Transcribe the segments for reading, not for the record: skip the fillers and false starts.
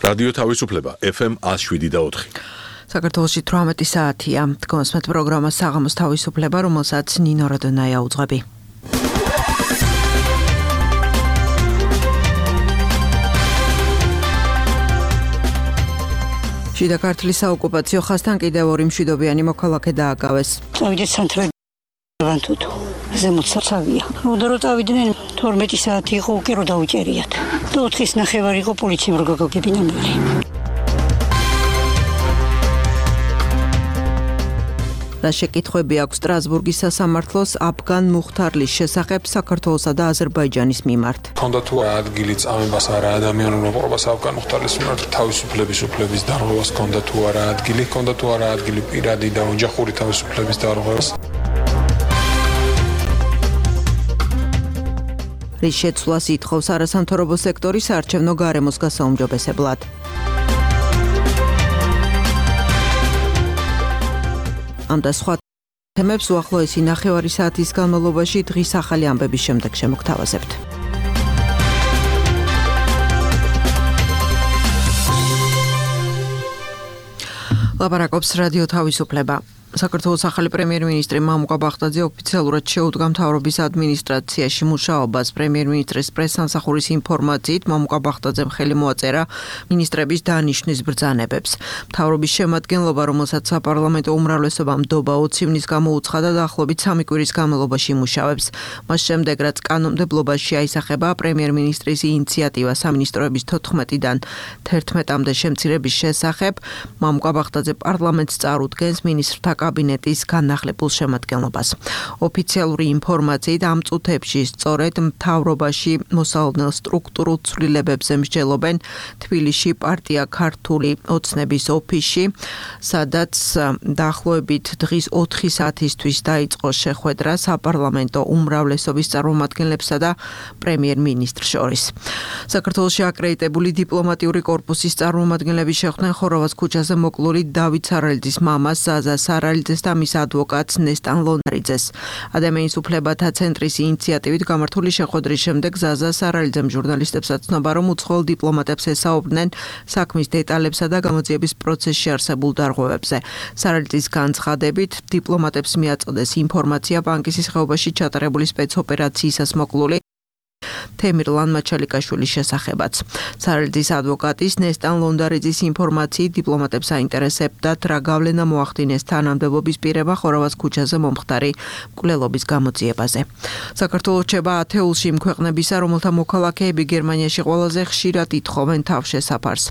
რადიო თავისუფლება FM 107.4. საქართველოში 18 საათია. თქვენს პროგრამა საღამოს თავისუფლება, რომელსაც ნინო რადონაია უძღვები. შიდა ქართლის საოკუპაციო ხაზთან კიდევ ორი მშვიდობიანი მოქალაქე დააკავეს. წავიდეთ სანტრალიდან თუთო. ზემოთ საცავია. რო წავიდნენ 12 საათი იყო უკვე რო დაუჭერიათ. 4:30 იყო პოლიციამ რო გაგებინა მერე. რა შეკითხვები აქვს სტრასბურგის სასამართლოს აფგან მუხთარლის შესახებ საქართველოსა და აზერბაიჯანის მიმართ? ქონდა თუ ადგილი წამებას არა ადამიანურ მოპყრობას აფგან მუხთარლის მიმართ თავისუფლების უფლების დარღვევას ქონდა თუ არა ადგილი პირადი და ოჯახური თავისუფლების დარღვევას. რის შეცვლას ითხოვს არასამთავრობო სექტორის საარჩევნო გარემოს გასაუმჯობესებლად. ამ და სხვა თემებს უახლოესი ნახევარი საათის განმავლობაში დღის ახალი ამბების შემდეგ შემოგთავაზებთ. ლაპარაკობს რადიო თავისუფლება. საქართველოს ახალი პრემიერ-მინისტრი მამუკა ბახტაძე ოფიციალურად შეუდგა მთავრობის ადმინისტრაციაში მუშაობას. პრემიერ-მინისტრის პრესსამსახურის ინფორმაციით მამუკა ბახტაძემ ხელი მოაწერა მინისტრების დანიშვნის ბრძანებებს. მთავრობის შემადგენლობა, რომელსაც საპარლამენტო უმრავლესობა ნდობა 20 ივნის გამოუცხადა, დაახლოებით 3 კვირის განმავლობაში იმუშავებს. მას შემდეგ, რაც კანონმდებლობაში აისახება პრემიერ-მინისტრის ინიციატივა სამინისტროების 14-დან 11-მდე შემცირების შესახებ, მამუკა ბახტაძე პარლამენტს წარუდგენს მინისტრთა კაბინეტის განახლებულ შემადგენლობას. ოფიციალური ინფორმაციით ამ წუთებში სწორედ მთავრობაში მოსალოდნელ სტრუქტურულ ცვლილებებზე მსჯელობენ თბილისში პარტია ქართული ოცნების ოფისში, სადაც დაახლოებით დღის 4 საათისთვის დაიწყო შეხვედრა საპარლამენტო უმრავლესობის წარმომადგენლებსა და პრემიერ-მინისტრს შორის. საქართველოში აკრედიტებული დიპლომატიური კორპუსის წარმომადგენლები შეხვდნენ ხორავას ქუჩაზე მოკლული დავით სარალიძის მამას ზაზა სარალიძეს და მის ადვოკატს ნესტან ლონდარიძეს. ადამიანის უფლებათა ცენტრის ინიციატივით გამართული შეხვედრის შემდეგ ზაზა სარალიძემ ჟურნალისტებს აცნობა, რომ უცხოელ დიპლომატებს ესაუბრნენ საქმის დეტალებსა და გამოძიების პროცესში არსებულ დარღვევებზე. სარალიძის განცხადებით, დიპლომატებს მიაწოდეს ინფორმაცია ბანკისის ხეობაში ჩატარებული სპეცოპერაციისას მოკლული თემირ ლანმაჩალიკაშვილის შესახებაც. სარალიძის ადვოკატის ნესტან ლონდარიძის ინფორმაციით დიპლომატებს აინტერესებდათ, რა გავლენა მოახდინეს თანამდებობის პირებმა ხორავას ქუჩაზე მომხდარი მკვლელობის გამოძიებაზე. საქართველოს რჩება ათეულში იმ ქვეყნებისა, რომელთა მოქალაქეები გერმანიაში ყველაზე ხშირად ითხოვენ თავშესაფარს.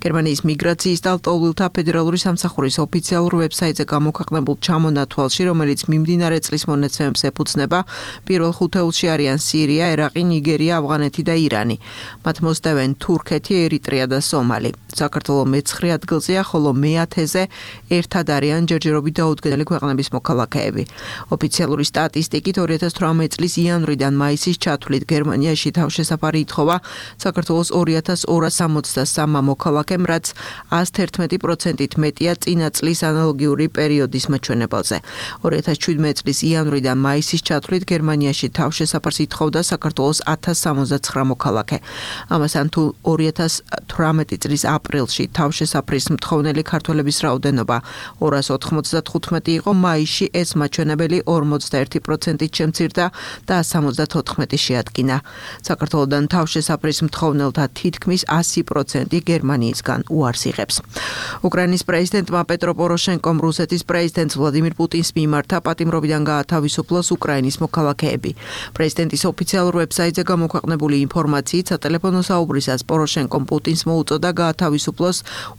გერმანიის მიგრაციის და ლტოლვილთა ფედერალური სამსახურის ოფიციალურ ვებსაიტზე გამოქვეყნებულ ჩამონათვალში, რომელიც მიმდინარე წლის მონაცემებს ეფუძნება, პირველ 5 ათეულში არიან სირია, ერაყი, ნიგერია, ავღანეთი და ირანი. მათ მოსდევენ თურქეთი, ერიტრეა და სომალი. საქართველო მე-9 ადგილზეა, ხოლო მე-10-ზე ერთად არიან ჯერჯერობით დაუდგენელი ქვეყნების მოქალაქეები. ოფიციალური სტატისტიკით 2018 წლის იანვრიდან მაისის ჩათვლით გერმანიაში თავშესაფარი ითხოვა საქართველოს 2263 მოქალაქემ, რაც 111%-ით მეტია წინა წლის ანალოგიური პერიოდის მაჩვენებელზე. 2017 წლის იანვრიდან მაისის ჩათვლით გერმანიაში თავშესაფარს ითხოვდა საქართველოს 1069 მოქალაქე. ამასთან თუ 2018 წლის აპრილში თავშესაფრის მთხოვნელი ქართველების რაოდენობა 295 იყო, მაისში ეს მაჩვენებელი 41%-ით შემცირდა და 174 შეადგინა. საქართველოდან თავშესაფრის მთხოვნელთა თითქმის 100% გერმანიისგან უარს იღებს. უკრაინის პრეზიდენტმა პეტრო პოროშენკომ რუსეთის პრეზიდენტ ვლადიმირ პუტინს მიმართა პატიმრობიდან გაათავისუფლოს უკრაინის მოქალაქეები. პრეზიდენტის ოფიციალურ ვებსაიტზე გამოქვეყნებული ინფორმაციით, სატელეფონო საუბრისას პოროშენკომ პუტინს მოუწოდა გაათავისუფლოს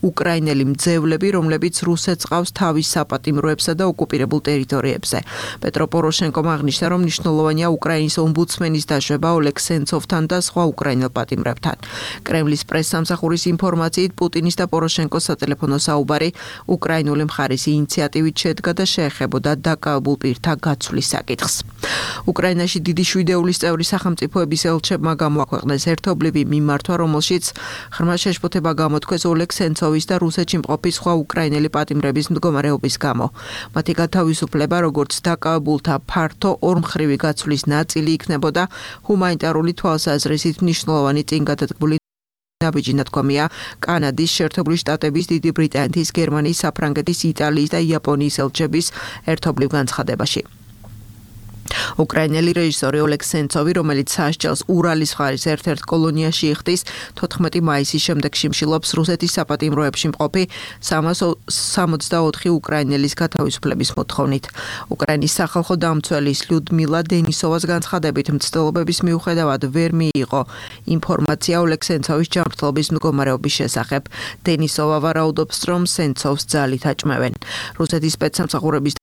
უკრაინელი მძევლები, რომლებიც რუსეთს ყავს თავის საპატიმროებსა და ოკუპირებულ ტერიტორიებზე. პეტრო პოროშენკომ აღნიშნა, რომ მნიშვნელოვანია უკრაინის ომბუდსმენის დაშვება ოლეგ სენცოვთან და სხვა უკრაინელ პატიმრებთან. კრემლის პრესსამსახურის ინფორმაციით, პუტინის და პოროშენკოს სატელეფონო საუბარი უკრაინული მხარის ინიციატივით შედგა და შეეხებოდა დაკავებულ პირთა გაცვლის საკითხს. უკრაინაში დიდი შვიდეულის წევრი სახელმწიფოების ელჩებმა გამოაქვეყნეს ერთობლივი მიმართვა, რომელშიც ღრმა შეშფოთება გამოთქვეს ოლეგ სენცოვის და რუსეთში მყოფი სხვა უკრაინელი პატიმრების მდგომარეობის გამო. მათი გათავისუფლება, როგორც დაკავებულთა ფართო ორმხრივი გაცვლის ნაწილი იქნებოდა ჰუმანიტარული თვალსაზრისით მნიშვნელოვანი წინგადადგმული ნაბიჯი ნათქვამია კანადის, შეერთებული შტატების, დიდი ბრიტანეთის, გერმანიის, საფრანგეთის, იტალიის და იაპონიის ელჩების ერთობლივ განცხადებაში. უკრაინელი რეჟისორი ოლეგ სენცოვი, რომელიც სასჯელს ურალის მხარის ერთ-ერთ კოლონიაში იხდის, 14 მაისის შემდეგ შიმშილობს რუსეთის საპატიმროებში მყოფი 364 უკრაინელის გათავისუფლების მოთხოვნით. უკრაინის სახალხო დამცველის ლიუდმილა დენისოვას განცხადებით, მცდელობების მიუხედავად ვერ მიიღო ინფორმაცია ოლეგ სენცოვის ჯანმრთელობის მდგომარეობის შესახებ. დენისოვა ვარაუდობს, რომ სენცოვს ძალით აჭმევენ. რუსეთის სპეცსამსახურების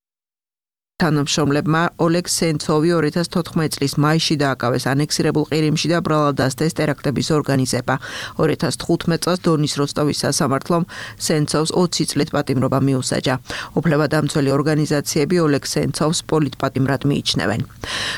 თანამშრომლებმა ოლეგ სენცოვი 2014 წლის მაისში დააკავეს ანექსირებულ ყირიმში და ბრალად დასდეს ტერაქტების ორგანიზება. 2015 წელს დონის როსტოვის სასამართლომ სენცოვს 20 წლით პატიმრობა მიუსაჯა. უფლებადამცველი ორგანიზაციები ოლეგ სენცოვს პოლიტპატიმრად მიიჩნევენ.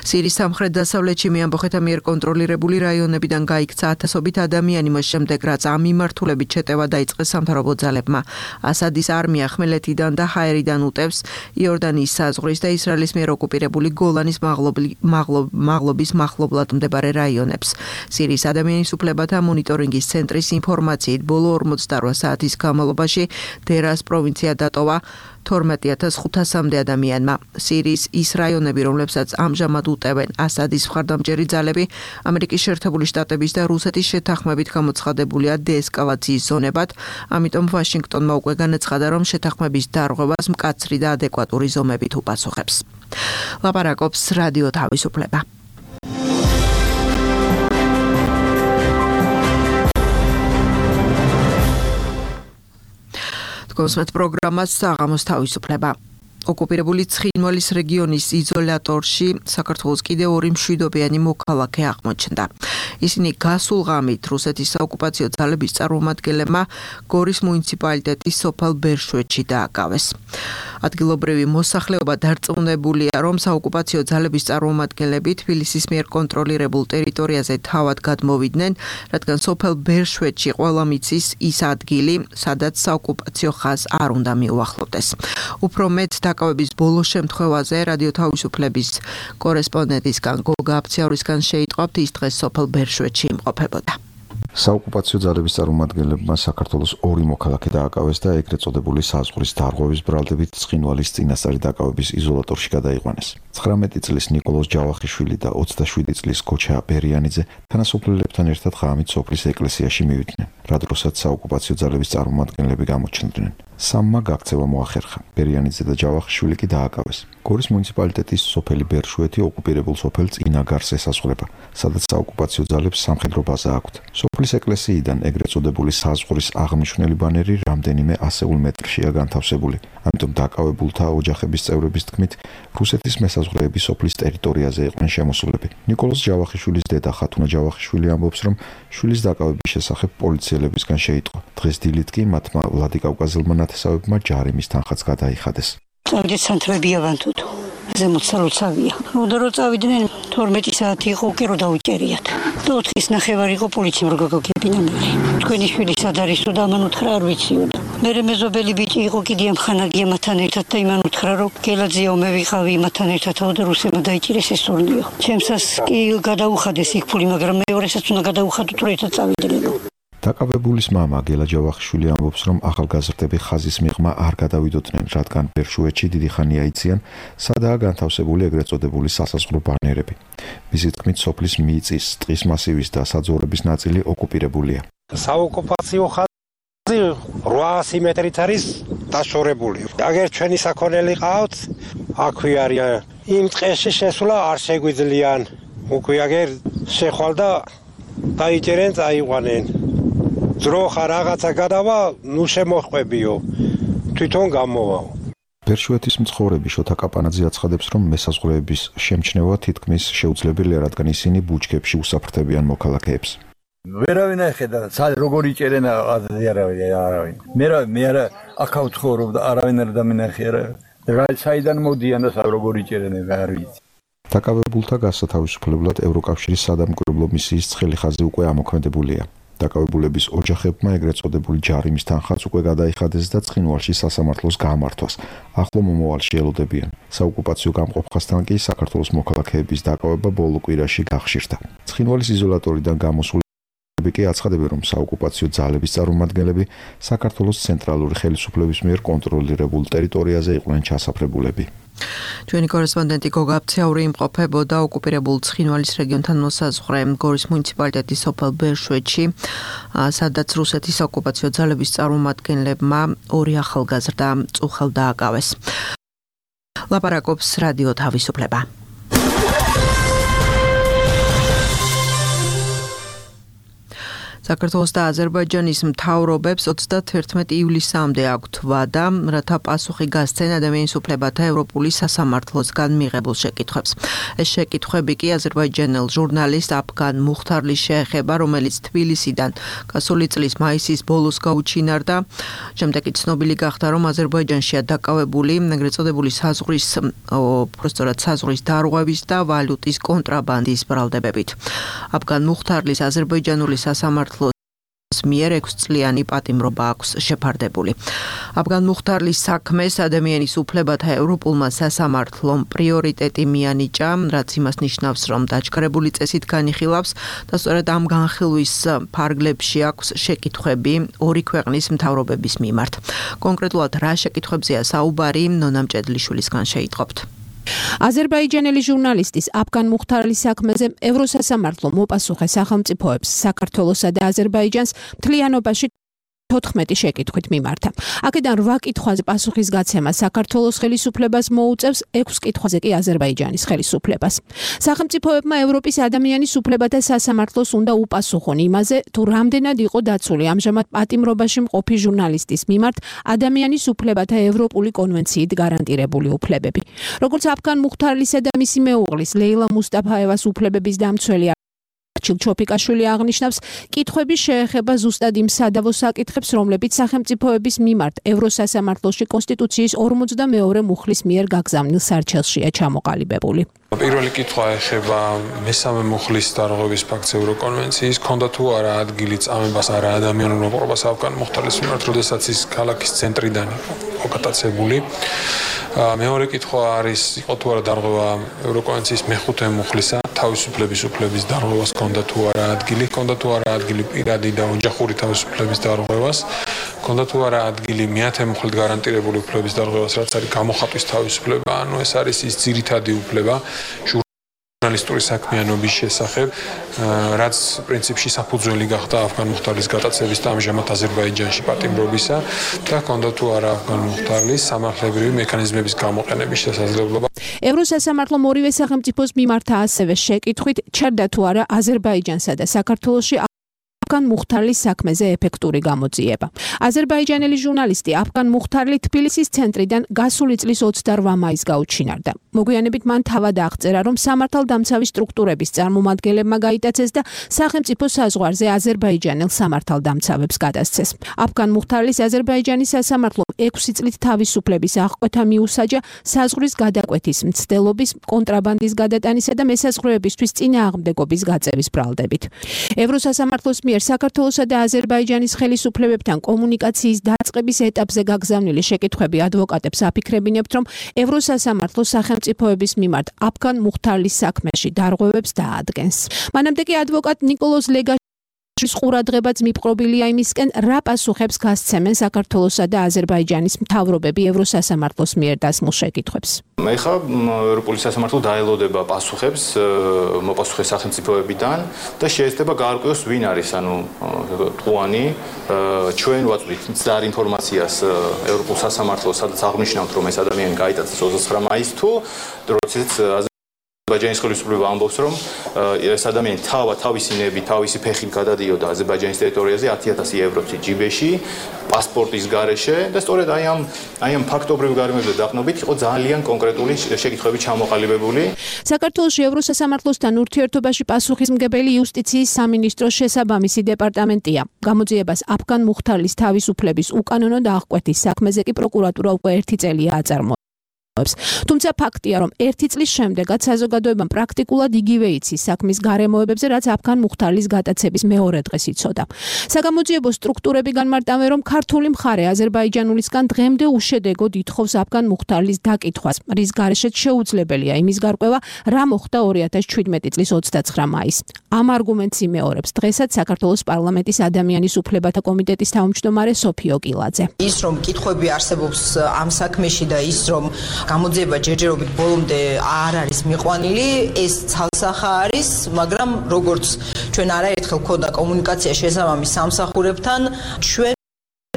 სირიის სამხრეთ-დასავლეთში მეამბოხეთა მიერ კონტროლირებული რაიონებიდან გაიქცა ათასობით ადამიანი მას შემდეგ, რაც ამ მიმართულებით შეტევა დაიწყეს სამთავრობო ძალებმა. ასადის არმია ხმელეთიდან და ჰაერიდან უტევს იორდანიის საზღვრის და ისრაელის მიერ ოკუპირებული გოლანის მაღლობის მახლობლად მდებარე რაიონებს. სირიის ადამიანის უფლებათა მონიტორინგის ცენტრის ინფორმაციით, ბოლო 48 საათის განმავლობაში დერას პროვინცია დატოვა 12500-მდე ადამიანმა. სირიის ის რაიონები, რომლებსაც ამჟამად უტევენ ასადის მხარდამჭერი ძალები, ამერიკის შეერთებული შტატების და რუსეთის შეთანხმებით გამოცხადებულია დეესკალაციის ზონებად, ამიტომ ვაშინგტონმა უკვე განაცხადა, რომ შეთანხმების დარღვევას მკაცრი და ადეკვატური ზომებით უპასუხებს. ლაპარაკობს რადიო თავისუფლება. კონსმეთ პროგრამას საღამოს თავისუფლება. ოკუპირებული ცხინვალის რეგიონის იზოლატორში საქართველოს კიდევ 2 მშვიდობიანი მოქალაქე აღმოჩნდა. ისინი გასულ ღამით რუსეთის საოკუპაციო ძალების წარმომადგენლებმა გორის მუნიციპალიტეტის სოფელ ბერშვეთში დააკავეს. ადგილობრივი მოსახლეობა დარწმუნებულია, რომ საოკუპაციო ძალების წარმომადგენლები თბილისის მიერ კონტროლირებულ ტერიტორიაზე თავად გადმოვიდნენ, რადგან სოფელ ბერშვეთში ყველა მიცის ის ადგილი, სადაც საოკუპაციო ხაზს არ უნდა მიუახლოვდეს. უფრო მეტ დაკავების ბოლო შემთხვევაზე რადიო თავისუფლების კორესპონდენტისგან გოგა აფციაურისგან შეიტყვათ, ის დღეს სოფელ ბერშვეთში იმყოფებოდა. საოკუპაციო ძალების წარმომადგენლებმა საქართველოს 2 მოქალაქე დააკავეს და ეგრეთ წოდებული საზღვრის დარღვევის ბრალდებით ცხინვალის წინასწარი დაკავების იზოლატორში გადაიყვანეს. 19 წლის ნიკოლოზ ჯავახიშვილი და 27 წლის გოჩა ბერიანიძე თანასოფლელებთან ერთად ღამით სოფლის ეკლესიაში მივიდნენ, რა დროსაც საოკუპაციო ძალების წარმომადგენლები გამოჩნდნენ. 3-მა გაქცევა მოახერხა. ბერიანიძე და ჯავახიშვილი კი დააკავეს. გორის მუნიციპალიტეტის სოფელი ბერშვეთი ოკუპირებულ სოფელ წინაგარს ესაზღვრება, სადაც საოკუპაციო ძალებს სამხედრო ბაზა აქვთ. სოფლის ეკლესიიდან ეგრეთ წოდებული საზღვრის აღნიშნული ბანერი რამდენიმე ასეულ მეტრშია განთავსებული. ამიტომ დაკავებულთა ოჯახების წევრების თქმით, რუსეთის მესაზღვრეები სოფლის ტერიტორიაზე იყვნენ შემოსულები. ნიკოლოზ ჯავახიშვილის დედა ხათუნა ჯავახიშვილი ამბობს, რომ შვილის დაკავების შესახებ პოლიციელებისგან შეიტყო. დღეს დილით კი მათმა ვლადიკავკაზელმა ნათესავებმა ჯარიმის თანხაც გადაიხადეს. წავიდეთ სანთრები ავანთუთო. ზემოთ სალოცავია. რო წავიდნენ 12 საათი იყო უკვე რო დაუჭერიათ. 4:30 იყო პოლიციამ რო გაგებინა მე. თქვენი შვილი სად არისო და ამან უთხრა არ ვიციო. მე მეზობელი ბიჭი იყო კიდე ამხანაგია მათთან ერთად და იმან უთხრა რომ გელაძიაო მე ვიყავი მათთან ერთადო და რუსებმა დაიჭირეს ეს სურლიო. ჩემსას კი გადაუხადეს იქ ფული, მაგრამ მეორესაც უნდა გადაუხადოთ რომ ერთად წავიდნენ. დაკავებულის მამა გელა ჯავახიშვილი ამბობს, რომ ახალგაზრდები ხაზის მიღმა არ გადავიდოდნენ, რადგან ბერშვეთში დიდი ხანია იციან, სადაა განთავსებული ეგრეთ წოდებული სასაზღვრო ბანერები. მისი თქმით, სოფლის მიწის, ტყის მასივის და საძოვრების ნაწილი ოკუპირებულია. საოკუპაციო ხაზი 800 მეტრით არის დაშორებული. აგერ ჩვენი საქონელი ყავთ, აქვე არიან. იმ ტყეში შესვლა არ შეგვიძლიან. უკვე აგერ შეხვალ და დაიჭერენ, წაიყვანენ. ძროხა რაღაცა გადავა, ნუ შემოხვებიო. თვითონ გამოვაო. ბერშვეთის მცხოვრები შოთა კაპანაძე აცხადებს, რომ მესაზღვრეების შემჩნევა თითქმის შეუძლებელია, რადგან ისინი ბუჩქებში უსაფრთხებიან მოქალაქეებს. ვერავინ ახედა, როგორ იჭერენ არავინ. მე არა აქავთ ხორობ და არავინ არ დამინახიერა. საიდან მოდიან და როგორ იჭერენ არ ვიცი. დაკავებულთა გასათავისუფლებლად ევროკავშირის სადამკვირვებლო მისიის ცხელი ხაზი უკვე ამოქმედებულია. დაკავებულების ოჯახებმა ეგრეთ წოდებული ჯარიმის თანხაც უკვე გადაიხადეს და ცხინვალში სასამართლოს გამართვას ახლო მომავალში ელოდებიან. საოკუპაციო გამყოფხასთან კი საქართველოს მოქალაქეების დაკავება ბოლო კვირაში გახშირდა. ცხინვალის იზოლატორიდან გამოსული კი აცხადებენ, რომ საოკუპაციო ძალების წარმომადგენლები საქართველოს ცენტრალური ხელისუფლების მიერ კონტროლირებულ ტერიტორიაზე იყვნენ ჩასაფრებულები. ჩვენი კორესპონდენტი გოგა აფცეაური იმყოფებოდა ოკუპირებულ ცხინვალის რეგიონთან მოსაზღვრე გორის მუნიციპალიტეტის სოფელ ბერშვეთში, სადაც რუსეთის ოკუპაციო ძალების წარმომადგენლებმა 2 ახალგაზრდა წუხელ დააკავეს. ლაპარაკობს რადიო თავისუფლება. საქართველოს და აზერბაიჯანის მთავრობებს 31 ივლისამდე აქვთ ვადა, რათა პასუხი გასცენ ადამიანის უფლებათა ევროპული სასამართლოსგან მიღებულ შეკითხვებს. ეს შეკითხვები კი აზერბაიჯანელ ჟურნალისტ აფგან მუხთარლის შეეხება, რომელიც თბილისიდან გასული წლის მაისის ბოლოს გაუჩინარდა. შემდეგ კი ცნობილი გახდა, რომ აზერბაიჯანშია დაკავებული ეგრეთ წოდებული საზღვრის დარღვევის და ვალუტის კონტრაბანდის ბრალდებებით. აფგან მუხთარლის აზერბაიჯანული სასამართლოს მიერ 6 წლიანი პატიმრობა აქვს შეფარდებული. აფგან მუხთარლის საქმეს ადამიანის უფლებათა ევროპულმა სასამართლომ პრიორიტეტი მიანიჭა, რაც იმას ნიშნავს, რომ დაჯგრებული წესით განიხილავს და სწორედ ამ განხილვის ფარგლებში აქვს შეკითხვები 2 ქვეყნის მთავრობების მიმართ. კონკრეტულად რა შეკითხვებზეა საუბარი, ნონა მჭედლიშვილისგან შეიტყობთ. აზერბაიჯანელი ჟურნალისტის აფგან მუხთარლის საქმეზე ევროსასამართლო მოპასუხე სახელმწიფოებს საქართველოსა და აზერბაიჯანს მთლიანობაში 14 შეკითხვით მიმართა. აქედან 8 კითხვაზე პასუხის გაცემა საქართველოს ხელისუფლებას მოუწევს, 6 კითხვაზე კი აზერბაიჯანის ხელისუფლებას. სახელმწიფოებმა ევროპის ადამიანის უფლებათა სასამართლოს უნდა უპასუხონ იმაზე, თუ რამდენად იყო დაცული ამჟამად პატიმრობაში მყოფი ჟურნალისტის მიმართ ადამიანის უფლებათა ევროპული კონვენციით გარანტირებული უფლებები. როგორც აფგან მუხთარლისა და მისი მეუღლის ლეილა მუსტაფაევას უფლებების დამცველი ჩილჩოფიკაშვილი აღნიშნავს, კითხვები შეეხება ზუსტად იმ სადავო საკითხებს, რომლებიც სახელმწიფოების მიმართ ევროსასამართლოში კონსტიტუციის 42 მუხლის მიერ გაგზავნილ სარჩელშია ჩამოყალიბებული. პირველი კითხვა ეხება მესამე მუხლის დარღვევის ფაქტს ევროკონვენციის, ქონდა თუ არა ადგილი წამებას არა ადამიანურ მოპყრობას აფგან მუხთარლის მიმართ, როდესაც ის ქალაქის ცენტრიდან იყო გატაცებული. მეორე კითხვა არის, იყო თუ არა დარღვევა ევროკონვენციის მეხუთე მუხლისა, თავისუფლების უფლების დარღვევას ქონდა თუ არა ადგილი, ქონდა თუ არა ადგილი პირადი და ოჯახური თავისუფლების დარღვევას, ქონდა თუ არა ადგილი მეათე მუხლით გარანტირებული უფლების დარღვევას, რაც არის გამოხატვის თავისუფლება, ანუ ეს არის ის ძირითადი უფლება ჟურნალისტური საქმიანობის შესახებ, რაც პრინციპში საფუძველი გახდა აფგან მუხთარლის გატაცების და ამჟამად აზერბაიჯანში პატიმრობისა და ქონდა თუ არა აფგან მუხთარლის სამართლებრივი მექანიზმების გამოყენების შესაძლებლობა. ევროსასამართლომ ორივე სახელმწიფოს მიმართა ასევე შეკითხვით, ჩერდა თუ არა აზერბაიჯანსა და საქართველოში აფგან მუხთარლის საქმეზე ეფექტური გამოძიება. აზერბაიჯანელი ჟურნალისტი აფგან მუხთარლი თბილისის ცენტრიდან გასული წლის 28 მაისს გაუჩინარდა. მოგვიანებით მან თავად აღწერა, რომ სამართალდამცავი სტრუქტურების წარმომადგენლებმა გაიტაცეს და სახელმწიფო საზღვარზე აზერბაიჯანელ სამართალდამცავებს გადასცეს. აფგან მუხთარლის აზერბაიჯანის სასამართლომ 6 წლით თავისუფლების აღკვეთა მიუსაჯა საზღვრის გადაკვეთის, მცდელობის, კონტრაბანდის გადატანისა და მესაზღვრეებისთვის წინააღმდეგობის გაწევის ბრალდებით. ევროსასამართლოს მიერ საქართველოსა და აზერბაიჯანის ხელისუფლებებთან კომუნიკაციის დაწყების ეტაპზე გაგზავნილი შეკითხვები ადვოკატებს აფიქრებინებთ, რომ ევროსასამართლო სახელმწიფოების მიმართ აფგან მუხთარლის საქმეში დარღვევებს დაადგენს. მანამდე კი ადვოკატ ნიკოლოზ ლეგაშვილის ყურადღებაც მიპყრობილია იმისკენ, რა პასუხებს გასცემენ საქართველოსა და აზერბაიჯანის მთავრობები ევროსასამართლოს მიერ დასმულ შეკითხვებს. ეხლა ევროპული სასამართლო დაელოდება პასუხებს მოპასუხე სახელმწიფოებიდან და შეეცდება გაარკვიოს ვინ არის, ანუ ტყუანი. ჩვენ ვაწვდით მცდარ ინფორმაციას ევროპულ სასამართლოს, სადაც აღნიშნავთ, რომ ეს ადამიანი გაიტაცეს 29 მაისს თუ როდესაც აზერბაიჯანის ხელისუფლება ამბობს, რომ ეს ადამიანი თავისი ნები, თავისი ფეხით გადადიოდა აზერბაიჯანის ტერიტორიაზე 10,000 ევროთი ჯიბეში, პასპორტის გარეშე და სწორედ აი ამ ფაქტობრივ გარემოებზე დაყნობით იყო ძალიან კონკრეტული შეკითხვები ჩამოყალიბებული. საქართველოში ევროსასამართლოსთან ურთიერთობაში პასუხისმგებელი იუსტიციის სამინისტროს შესაბამისი დეპარტამენტია. გამოძიებას აფგან მუხთარლის თავისუფლების უკანონო აღკვეთის საქმეზე კი პროკურატურა უკვე 1 წელია აწარმოებს. თუმცა ფაქტია, რომ 1 წლის შემდეგაც საზოგადოებამ პრაქტიკულად იგივე იცის საქმის გარემოებებზე, რაც აფგან მუხთარლის გატაცების მეორე დღეს იცოდა. საგამოძიებო სტრუქტურები განმარტავენ, რომ ქართული მხარე აზერბაიჯანულისგან დღემდე უშედეგოდ ითხოვს აფგან მუხთარლის დაკითხვას, რის გარეშეც შეუძლებელია იმის გარკვევა, რა მოხდა 2017 წლის 29 მაისს. ამ არგუმენტს იმეორებს დღესაც საქართველოს პარლამენტის ადამიანის უფლებათა კომიტეტის თავმჯდომარე სოფიო კილაძე. ის რომ კითხვები არსებობს ამ საქმეში და ის რომ გამოძიება ჯერჯერობით ბოლომდე არ არის მიყვანილი, ეს ცალსახა არის, მაგრამ როგორც ჩვენ არაერთხელ ქონდა კომუნიკაცია შესაბამის სამსახურებთან, ჩვენ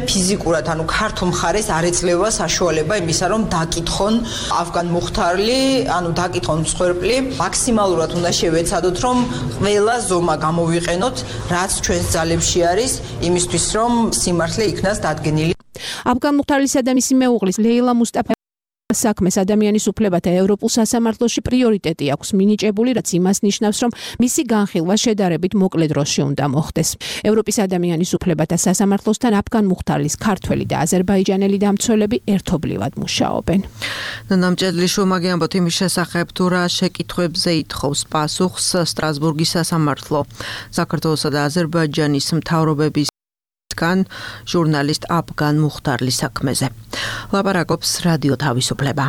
ფიზიკურად, ანუ ქართულ მხარეს არ ეძლევა საშუალება იმისა, რომ დაკითხონ აფგან მუხთარლი, ანუ დაკითხონ მსხვერპლი, მაქსიმალურად უნდა შევეცადოთ, რომ ყველა ზომა გამოვიყენოთ, რაც ჩვენს ძალებში არის, იმისთვის, რომ სიმართლე იქნას დადგენილი. აფგან მუხთარლისა და მისი მეუღლის ლეილა მუსტაფა საქმეს ადამიანის უფლებათა ევროპულ სასამართლოში პრიორიტეტი აქვს მინიჭებული, რაც იმას ნიშნავს, რომ მისი განხილვა შედარებით მოკლე დროში უნდა მოხდეს. ევროპის ადამიანის უფლებათა სასამართლოსთან აფგან მუხთარლის ქართველი და აზერბაიჯანელი დამცველები ერთობლივად მუშაობენ. ნამჭედლი შუმაგიანბოთ იმის შესახებ, თუ რა შეკითხვებზე ითხოვს პასუხს სტრასბურგის სასამართლო. საქართველოსა და აზერბაიჯანის მთავრობების ჟურნალისტ აფგან მუხთარლის საქმეზე. ლაპარაკობს რადიო თავისუფლება.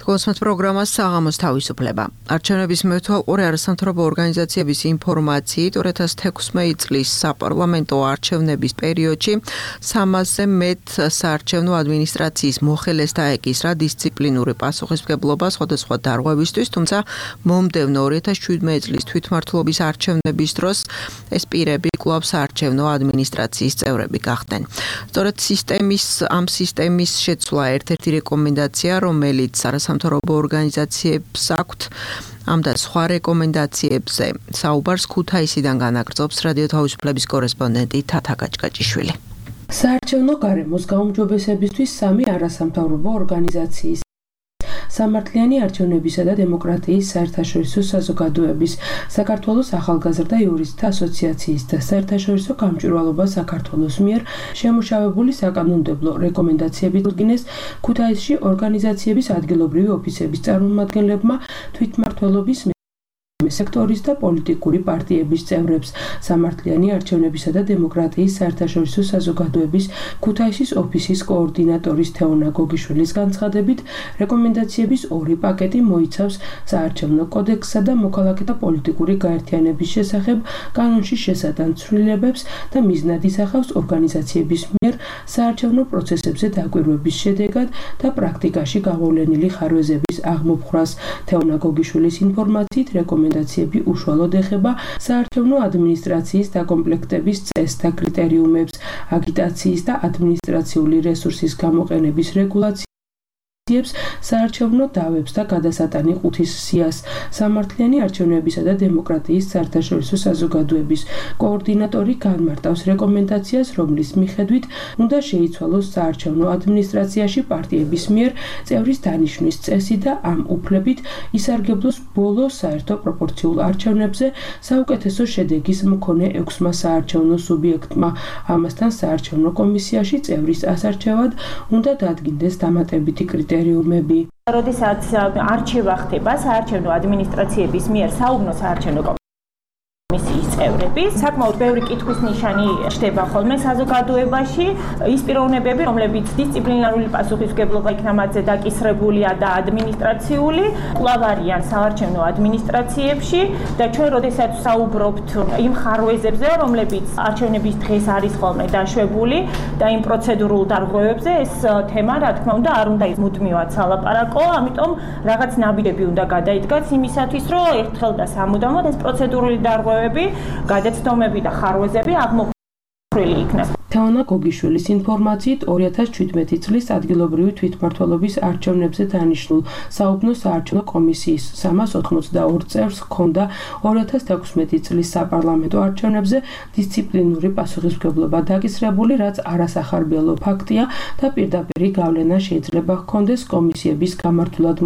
კოსმოს პროგრამას საღამოს თავისუფლება. არჩევნების მეთვალყურე არასამთავრობო ორგანიზაციების ინფორმაციით 2016 წლის საპარლამენტო არჩევნების პერიოდში 300-ზე მეტ საარჩევნო ადმინისტრაციის მოხელეს დაეკისრა დისციპლინური პასუხისმგებლობა სხვადასხვა დარღვევისთვის, თუმცა მომდევნო 2017 წლის თვითმმართველობის არჩევნების დროს ეს პირები კვლავ საარჩევნო ადმინისტრაციის წევრები გახდნენ. სწორედ ამ სისტემის შეცვლა ერთ-ერთი რეკომენდაცია, რომელიც არასამთავრობო ორგანიზაციებს აქვთ ამ და სხვა რეკომენდაციებზე საუბარს ქუთაისიდან განაგრძობს რადიო თავისუფლების კორესპონდენტი თათა გაჭკაჭიშვილი. საარჩევნო გარემოს გაუმჯობესებისთვის 3 არასამთავრობო ორგანიზაციის სამართლიანი არჩევნებისა და დემოკრატიის საერთაშორისო საზოგადოების, საქართველოს ახალგაზრდა იურისტთა ასოციაციის და საერთაშორისო გამჭვირვალობა საქართველოს მიერ შემუშავებული საკანონმდებლო რეკომენდაციებით წინეს ქუთაისში ორგანიზაციების ადგილობრივი ოფისების წარმომადგენლებმა თვითმმართველობის სექტორის და პოლიტიკური პარტიების წევრებს სამართლიანი არჩევნებისა და დემოკრატიის საერთაშორისო საზოგადოების ქუთაისის ოფისის კოორდინატორის თეონა გოგიშვილის განცხადებით, რეკომენდაციების 2 პაკეტი მოიცავს საარჩევნო კოდექსსა და მოქალაქეთა პოლიტიკური გაერთიანების შესახებ კანონში შესატან ცვლილებებს და მიზნად ისახავს ორგანიზაციების მიერ საარჩევნო პროცესებზე დაკვირვების შედეგად და პრაქტიკაში გამოვლენილი ხარვეზების აღმოფხვრას. თეონა გოგიშვილის ინფორმაციით რეკომენდაციები უშუალოდ ეხება საარჩევნო ადმინისტრაციის დაკომპლექტების წესთა კრიტერიუმებს, აგიტაციის და ადმინისტრაციული რესურსის გამოყენების რეგულაციას, საარჩევნო დავებს და გადასატანი ყუთის სიას. სამართლიანი არჩევნებისა და დემოკრატიის საერთაშორისო საზოგადოების კოორდინატორი განმარტავს რეკომენდაციას, რომლის მიხედვით უნდა შეიცვალოს საარჩევნო ადმინისტრაციაში პარტიების მიერ წევრის დანიშვნის წესი და ამ უფლებით ისარგებლოს ბოლო საერთო პროპორციულ არჩევნებზე საუკეთესო შედეგის მქონე 6-მა საარჩევნო სუბიექტმა. ამასთან საარჩევნო კომისიაში წევრის ასარჩევად უნდა დადგინდეს დამატებითი კრიტერიუმები. როდესაც არჩევა ხდება საარჩევნო ადმინისტრაციების მიერ საუბნო საარჩევნო კომისიის წევრები, საკმაოდ ბევრი კითხვის ნიშანი ხდება ხოლმე საზოგადოებაში. ის პიროვნებები, რომლებიც დისციპლინარული პასუხისმგებლობა იქნა მათზე დაკისრებულია და ადმინისტრაციული, კვლავ არიან საარჩევნო ადმინისტრაციებში და ჩვენ როდესაც საუბრობთ იმ ხარვეზებზე, რომლებიც არჩევნების დღეს არის ხოლმე დაშვებული და იმ პროცედურულ დარღვევებზე, ეს თემა, რა თქმა უნდა, არ უნდა მუდმივად სალაპარაკო, ამიტომ რაღაც ნაბიჯები უნდა გადაიდგას იმისათვის, რომ ერთხელ და სამუდამოდ ეს პროცედურული დარღვევები, გადაცდომები და ხარვეზები აღმოფხვრილი იქნას. თეონა გოგიშვილის ინფორმაციით 2017 წლის ადგილობრივი თვითმმართველობის არჩევნებზე დანიშნულ საუბნო საარჩევნო კომისიის 382 წევრს ჰქონდა 2016 წლის საპარლამენტო არჩევნებზე დისციპლინური პასუხისმგებლობა დაკისრებული, რაც არასახარბიელო ფაქტია და პირდაპირი გავლენა შეიძლება ჰქონდეს კომისიების გამართულად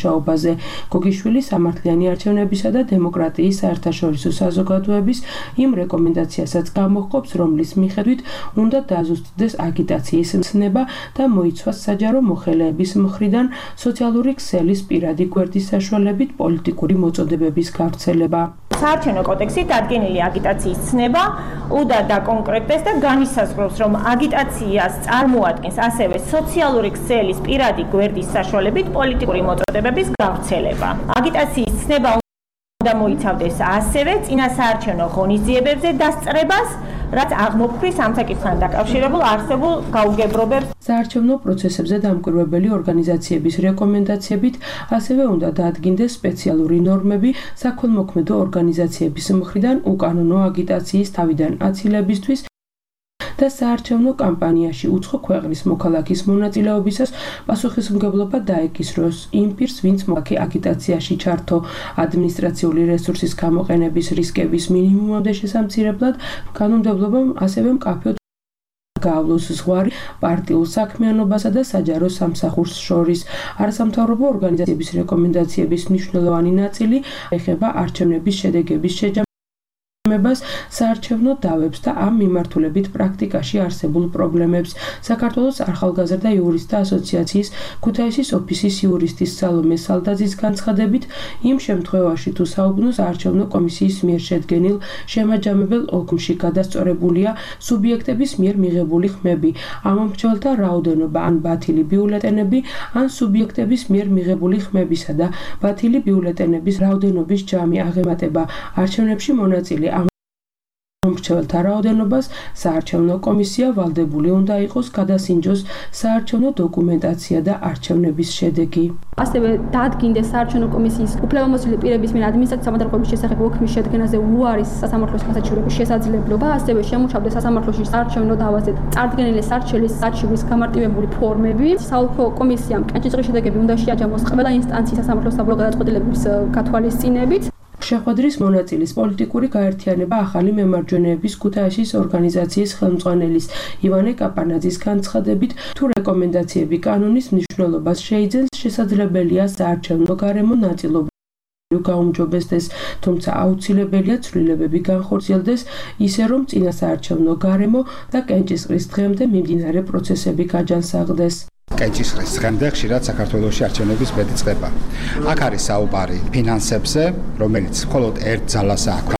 მუშაობაზე. გოგიშვილი სამართლიანი არჩევნებისა და დემოკრატიის საერთაშორისო საზოგადოების იმ რეკომენდაციასაც გამოჰყოფს, რომლის მიხედვით უნდა დაზუსტდეს აგიტაციის მცნება და მოიცვას საჯარო მოხელეების მხრიდან სოციალური ქსელის პირადი გვერდის საშუალებით პოლიტიკური მოწოდებების გავრცელება. საარჩევნო კოდექსით დადგენილი აგიტაციის ცნება უდად დაკონკრეტდეს და განისაზღვროს, რომ აგიტაციას წარმოადგენს ასევე სოციალური ქსელის პირადი გვერდის საშუალებით პოლიტიკური მოწოდებების გავრცელება. აგიტაციის ცნება უნდა მოიცავდეს ასევე წინასაარჩევნო ღონისძიებებზე დასწრებას, რაც აღმოფხვის ამ საკითხთან დაკავშირებულ არსებულ გაუგებრობებს. საარჩევნო პროცესებზე დამკვირვებელი ორგანიზაციების რეკომენდაციებით ასევე უნდა დაადგინდეს სპეციალური ნორმები საქველმოქმედო ორგანიზაციების მხრიდან უკანონო აგიტაციის თავიდან აცილებისთვის და საარჩევნო კამპანიაში უცხო ქვეყნის მოქალაქის მონაწილეობისას პასუხისმგებლობა დაეკისროს იმ პირს, ვინც მოაქე აგიტაციაში ჩართო. ადმინისტრაციული რესურსის გამოყენების რისკების მინიმუმამდე შესამცირებლად კანონმდებლობამ ასევე მკაფიოდ გაავლოს ზღვარი პარტიულ საქმიანობასა და საჯარო სამსახურს შორის. არასამთავრობო ორგანიზაციების რეკომენდაციების მნიშვნელოვანი ნაწილი ეხება არჩევნების შედეგების შეჯამებას, საარჩევნო დავებს და ამ მიმართულებით პრაქტიკაში არსებულ პრობლემებს. საქართველოს ახალგაზრდა იურისტთა ასოციაციის ქუთაისის ოფისის იურისტის სალომე სალდაძის განცხადებით, იმ შემთხვევაში თუ საუბნოს არჩევნო კომისიის მიერ შედგენილ შემაჯამებელ ოლქში გადასწორებულია სუბიექტების მიერ მიღებული ხმები, ამომრჩეველთა რაოდენობა ან ბათილი ბიულეტენები, ან სუბიექტების მიერ მიღებული ხმებისა და ბათილი ბიულეტენების რაოდენობის ჯამი აღემატება არჩევნებში მონაწილე მომრჩეველთა რაოდენობას, საარჩევნო კომისია ვალდებული უნდა იყოს გადასინჯოს საარჩევნო დოკუმენტაცია და არჩევნების შედეგი. ასევე დაადგინდეს საარჩევნო კომისიის უფლებამოსილი პირების მიერ ადმინისტრაციული სამართლების შესახებ ოქმის შედგენაზე უარის სასამართლოს განსაჩივრების შესაძლებლობა, ასევე შემუშავდეს სასამართლოში საარჩევნო დავაზე წარდგენილი სარჩელის საჩივრის გამარტივებული ფორმები. საოლქო კომისიამ კენჭისყრის შედეგები უნდა შეაჯამოს ყველა ინსტანციის სასამართლოს საბოლოო გადაწყვეტილების გათვალისწინებით. შეხვედრის მონაწილის პოლიტიკური გაერთიანება ახალი მემარჯვენეების ქუთაისის ორგანიზაციის ხელმძღვანელის ივანე კაპანაძის განცხადებით, თუ რეკომენდაციები კანონის მნიშვნელობას შეიძენს, შესაძლებელია საარჩევნო გარემო ნაწილობრივ გაუმჯობესდეს, თუმცა აუცილებელია ცვლილებები განხორციელდეს ისე, რომ წინასაარჩევნო გარემო და კენჭისყრის დღემდე მიმდინარე პროცესები გაჯანსაღდეს. კენჭისყრის დღემდე ხშირად საქართველოში არჩევნების ბედი წყდება. აქ არის საუბარი ფინანსებზე, რომელიც მხოლოდ ერთ ძალასაა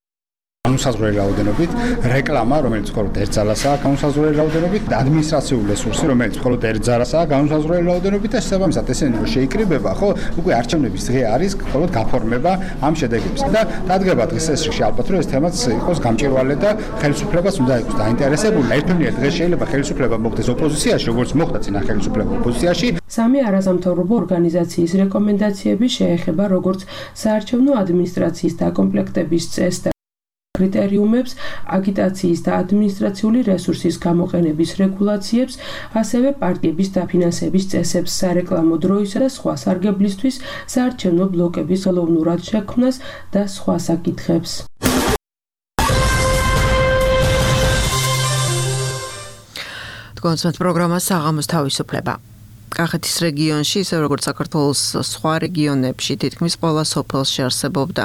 განუსაზღვრელი რაოდენობით, რეკლამა, რომელიც მხოლოდ ერთ ძალასაა განუსაზღვრელი რაოდენობით, ადმინისტრაციული რესურსი, რომელიც მხოლოდ ერთ ძალასაა განუსაზღვრელი რაოდენობით და შესაბამისად ესენი რომ შეიკრიბება, ხო, უკვე არჩევნების დღე არის მხოლოდ გაფორმება ამ შედეგებს. და დადგება დღეს ეს რიგში ალბათ რომ ეს თემაც იყოს გამჭვირვალე და ხელისუფლებას უნდა იყოს დაინტერესებული. ერთმანეთად დღეს შეიძლება ხელისუფლება მოხდეს ოპოზიციაში, როგორც მოხდა წინა ხელისუფლება ოპოზიციაში. სამი არასამთავრობო ორგანიზაციის რეკომენდაციები შეეხება როგორც საარჩევნო ადმინისტრაციის დაკომპლექტების წესს და კრიტერიუმებს, აგიტაციის და ადმინისტრაციული რესურსის გამოყენების რეგულაციებს, ასევე პარტიების დაფინანსების წესებს, სარეკლამო დროისა და სხვა სარგებლისთვის, საარჩევნო ბლოკების ხელოვნურად შექმნას და სხვა საკითხებს. კონსერტ პროგრამა საღამოს თავისუფლება. კახეთის რეგიონში, ისე როგორც საქართველოს სხვა რეგიონებში, თითქმის ყველა სოფელში არსებობდა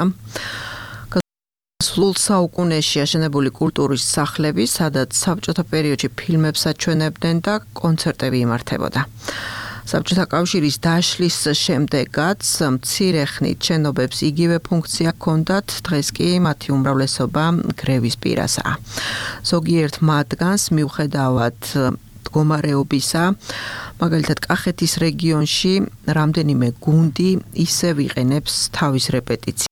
სულ საუკუნეში აშენებული კულტურის სახლები, სადაც საბჭოთა პერიოდში ფილმებს აჩვენებდნენ და კონცერტები იმართებოდა. საბჭოთა კავშირის დაშლის შემდეგაც მცირე ხნით შენობებს იგივე ფუნქცია ჰქონდათ, დღეს კი მათი უმრავლესობა გრევის პირასაა. ზოგიერთ მათგანს მიუხედავად მდგომარეობისა, მაგალითად კახეთის რეგიონში რამდენიმე გუნდი ისევ იყენებს თავის რეპეტიციისთვის.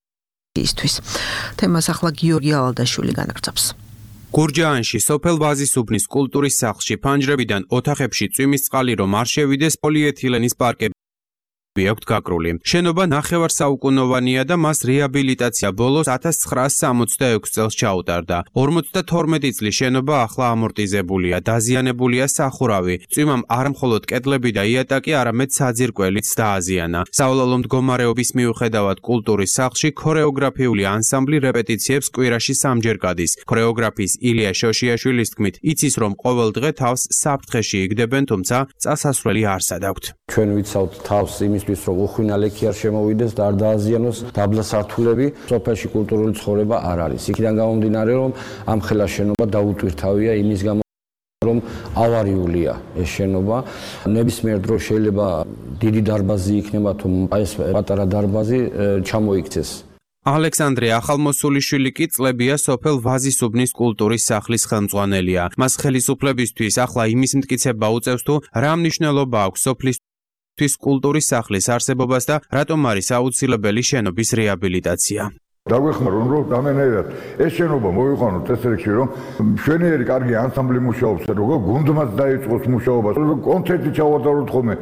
თემას ახლა გიორგი ალადაშვილი განაგრძობს. გურჯაანში სოფელ ვაზისუბნის კულტურის სახლში ფანჯრებიდან ოთახებში წვიმის წყალი რომ არ შევიდეს პოლიეთილენის პარკები აქვთ გაკრული. შენობა ნახევარსაუკუნოვანია და მას რეაბილიტაცია ბოლოს 1966 წელს ჩაუტარდა. 52 წლის შენობა ახლა ამორტიზებულია, დაზიანებულია სახურავი. წვიმამ არ მხოლოდ კედლები და იატაკი, არამედ საძირკველიც დააზიანა. საოლოლო მდგომარეობის მიუხედავად კულტურის სახლში ქორეოგრაფიული ანსამბლი რეპეტიციებს კვირაში 3-ჯერ გადის. ქორეოგრაფის ილია შოშიაშვილის თქმით, იცის რომ ყოველ დღე თავს საფრთხეში იგდებენ, თუმცა წასასვლელი არსად აქვთ. ჩვენ ვიცავთ თავს იმის იმისთვის, რომ უხვინალექი არ შემოვიდეს და არ დააზიანოს დაბლა სართულები, სოფელში კულტურული ცხოვრება არ არის. იქიდან გამომდინარე, რომ ამ ხელა შენობა დაუტვირთავია იმის გამო, რომ ავარიულია ეს შენობა. ნებისმიერ დროს შეიძლება დიდი დარბაზი იქნება, თუ ეს პატარა დარბაზი ჩამოიქცეს. ალექსანდრე ახალმოსულიშვილი კი წლებია სოფელ ვაზისუბნის კულტურის სახლის ხელმძღვანელია. მას ხელისუფლებისთვის ახლა იმის მტკიცება უწევს, თუ რა მნიშვნელობა აქვს სოფლისთვის კულტურის სახლის არსებობას და რატომ არის აუცილებელი შენობის რეაბილიტაცია. დაგვეხმაროთ, რომ რამენერად ეს შენობა მოიყვანოთ ეს რიგში, რომ მშვენიერი კარგი ანსამბლი მუშაობს, როგორ გუნდმაც დაიწყოს მუშაობა, კონცერტი ჩავატაროთ ხოლმე.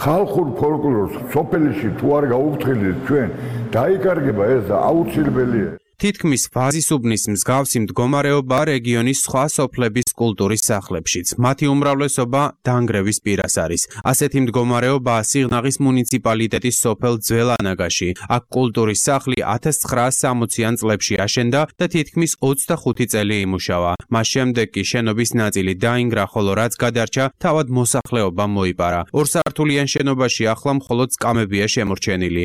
ხალხურ ფოლკლორს სოფელში თუ არ გაუფრთხილდით ჩვენ, დაიკარგება ეს და აუცილებელია. თითქმის ვაზისუბნის მსგავსი მდგომარეობა რეგიონის სხვა სოფლების კულტურის სახლებშიც. მათი უმრავლესობა დანგრევის პირას არის. ასეთი მდგომარეობაა სიღნაღის მუნიციპალიტეტის სოფელ ძველანაგაში. აქ კულტურის სახლი 1960-იან წლებში აშენდა და თითქმის 25 წელი იმუშავა. მას შემდეგ კი შენობის ნაწილი დაინგრა, ხოლო რაც გადარჩა, თავად მოსახლეობამ მოიპარა. ორსართულიან შენობაში ახლა მხოლოდ სკამებია შემორჩენილი.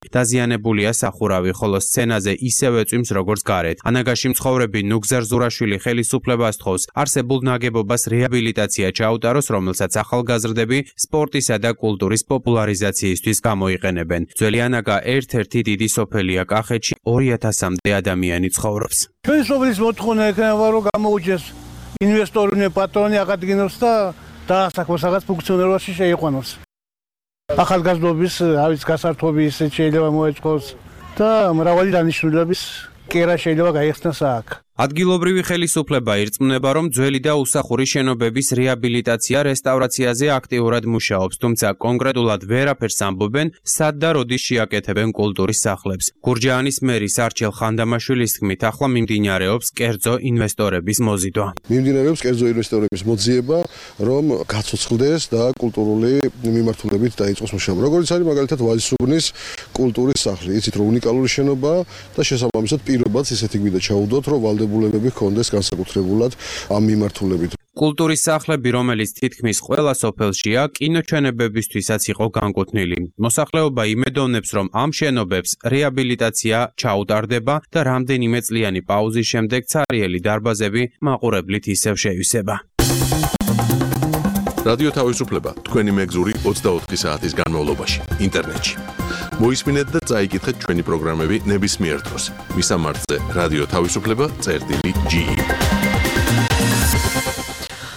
დაზიანებულია სახურავი, ხოლო სცენაზე ისევე წვიმს როგორც გარეთ. ანაგაში მცხოვრები ნუგზარ ზურაშვილი ხელისუფლებას თხოვს არსებულ ნაგებობას რეაბილიტაცია ჩაუტაროს, რომელსაც ახალგაზრდები სპორტისა და კულტურის პოპულარიზაციისთვის გამოიყენებენ. ძველი ანაგა ერთ-ერთი დიდი სოფელია კახეთში, 2000-მდე ადამიანი ცხოვრობს. ჩვენი სოფლის მოთხოვნა ექნება, რომ გამოუჩეს ინვესტორი პატრონი აღადგინოს და დაასაქმოს რაღაც ფუნქციონირებაში შეიყვანოს. ახალგაზრდობის გასართობი ისე შეიძლება მოეწყოს და მრავალი დანიშნულების კერა შეიძლება გაიხსნას აქ. ადგილობრივი ხელისუფლება ირწმუნება, რომ ძველი და უსახური შენობების რეაბილიტაცია რესტავრაციაზე აქტიურად მუშაობს, თუმცა კონკრეტულად ვერაფერს ამბობენ, სად და როდის შეაკეთებენ კულტურის სახლებს. გურჯაანის მერის არჩილ ხანდამაშვილის თქმით, ახლა მიმდინარეობს კერძო ინვესტორების მოზიდვა. მიმდინარეობს კერძო ინვესტორების მოძიება, რომ გაცოცხლდეს და კულტურული მიმართულებით დაიწყოს მუშაობა. როგორც არის მაგალითად ვაზისუბნის კულტურის სახლი, იცით რომ უნიკალური შენობაა და შესაბამისად პირობაც ისეთი გვინდა ჩაუდოთ, რომ ვალდებულებები ჰქონდეს განსაკუთრებულად ამ მიმართულებით. კულტურის სახლები, რომელიც თითქმის ყველა სოფელშია, კინოჩვენებებისთვისაც იყო განკუთვნილი. მოსახლეობა იმედოვნებს, რომ ამ შენობებს რეაბილიტაცია ჩაუტარდება და რამდენიმე წლიანი პაუზის შემდეგ ცარიელი დარბაზები მაყურებლით ისევ შეივსება. რადიო თავისუფლება თქვენი მეგზური 24 საათის განმავლობაში ინტერნეტში. მოისმინეთ და წაიკითხეთ ჩვენი პროგრამები ნებისმიერ დროს. მისამართზე რადიო თავისუფლება.ge.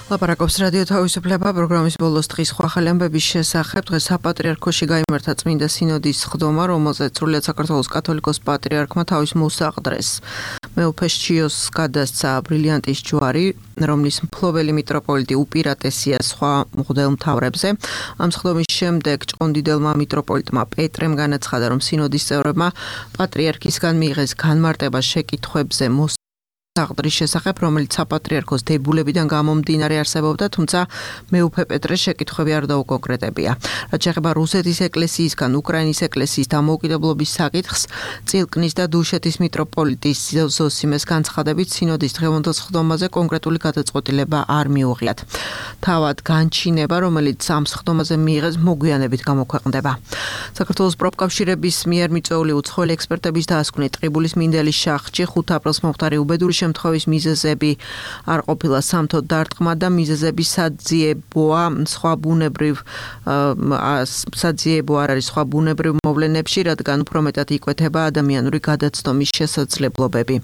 ლაპარაკობს რადიო თავისუფლება პროგრამის ბოლოს დღის სხვა ხალხების შესახებ. დღეს საპატრიარქოში გაიმართა წმინდა სინოდის სხდომა, რომელზეც სრულიად საქართველოს კათოლიკოს პატრიარქმა თავის მოსაყდრეს. მეუფე შჩიოს გადასცა ბრილიანტის ჯვარი, რომლის მფლობელი მიტროპოლიტი უპირატესია სხვა მღვდელმთავრებზე. ამ სხდომის შემდეგ ჭყონდიდელმა მიტროპოლიტმა პეტრემ განაცხადა, რომ სინოდის წევრებმა პატრიარქისგან მიიღეს განმარტება შეკითხვებზე აღდრის შესახებ, რომელიც საპატრიარქოს დებულებიდან გამომდინარე არსებობდა, თუმცა მეუფე პეტრეს შეკითხვები არ დაუკონკრეტებია. რაც შეეხება რუსეთის ეკლესიისგან უკრაინის ეკლესიის დამოუკიდებლობის საკითხს, წილკნის და დუშეთის მიტროპოლიტის ზოსიმეს განცხადებით, სინოდის დღევანდელ სხდომაზე კონკრეტული გადაწყვეტილება არ მიუღიათ. თავად განჩინება, რომელიც ამ სხდომაზე მიიღეს, მოგვიანებით გამოქვეყნდება. საქართველოს პროფკავშირების მიერ მიწვეული უცხოელი ექსპერტების დაასკვნით ტყიბულის მინდელის შახტში 5 აპრილს მომხდარი უბედური შემთხვევის მიზეზები არ ყოფილა სამთოდ დარტყმა და მიზეზები საძიებოა არ არის სხვა ბუნებრივ მოვლენებში, რადგან უფრო მეტად იკვეთება ადამიანური გადაცდომის შესაძლებლობები.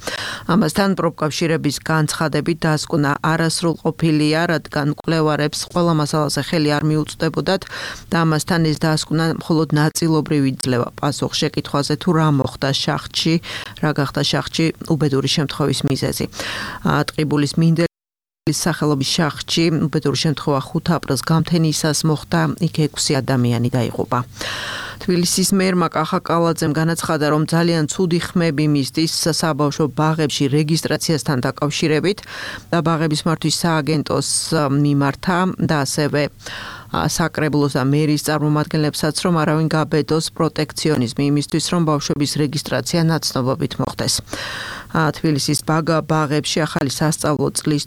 ამასთან პროფკავშირების განცხადებით დაასკვნა არასრულყოფილია, რადგან მკვლევარებს ყველა მასალაზე ხელი არ მიუწვდებოდათ და ამასთან ეს დაასკვნა მხოლოდ ნაწილობრივ იძლევა პასუხ შეკითხვაზე თუ რა მოხდა შახტში, რა გახდა შახტში უბედური შემთხვევის მიზეზი. ტყიბულის მინდელის სახელობის შახტში უბედური შემთხვევა 5 აპრილს გამთენისას მოხდა, იქ 6 ადამიანი დაიღუპა. თბილისის მერმა კახა კალაძემ განაცხადა, რომ ძალიან ცუდი ხმები მისდის საბავშვო ბაღებში რეგისტრაციასთან დაკავშირებით და ბაღების მართვის სააგენტოს მიმართა და ასევე საკრებულოს და მერის წარმომადგენლებსაც, რომ არავინ გაბედოს პროტექციონიზმი იმისთვის, რომ ბავშვების რეგისტრაცია ნაცნობობით მოხდეს. თბილისის ბაღებში ახალი სასწავლო წლის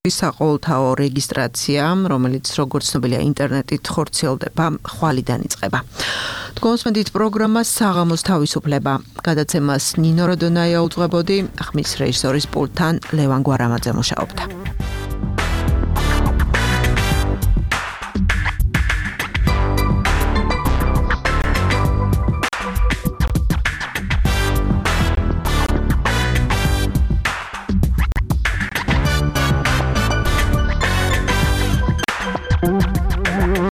საყოველთაო რეგისტრაცია, რომელიც როგორც ცნობილია ინტერნეტით ხორციელდება, ხვალიდან იწყება. თქვენსმენთ პროგრამა საღამოს თავისუფლება. გადაცემას ნინო როდონაია უძღვებოდი, ხმის რეჟისორის პულტთან ლევან გვარამაძე მუშაობდა.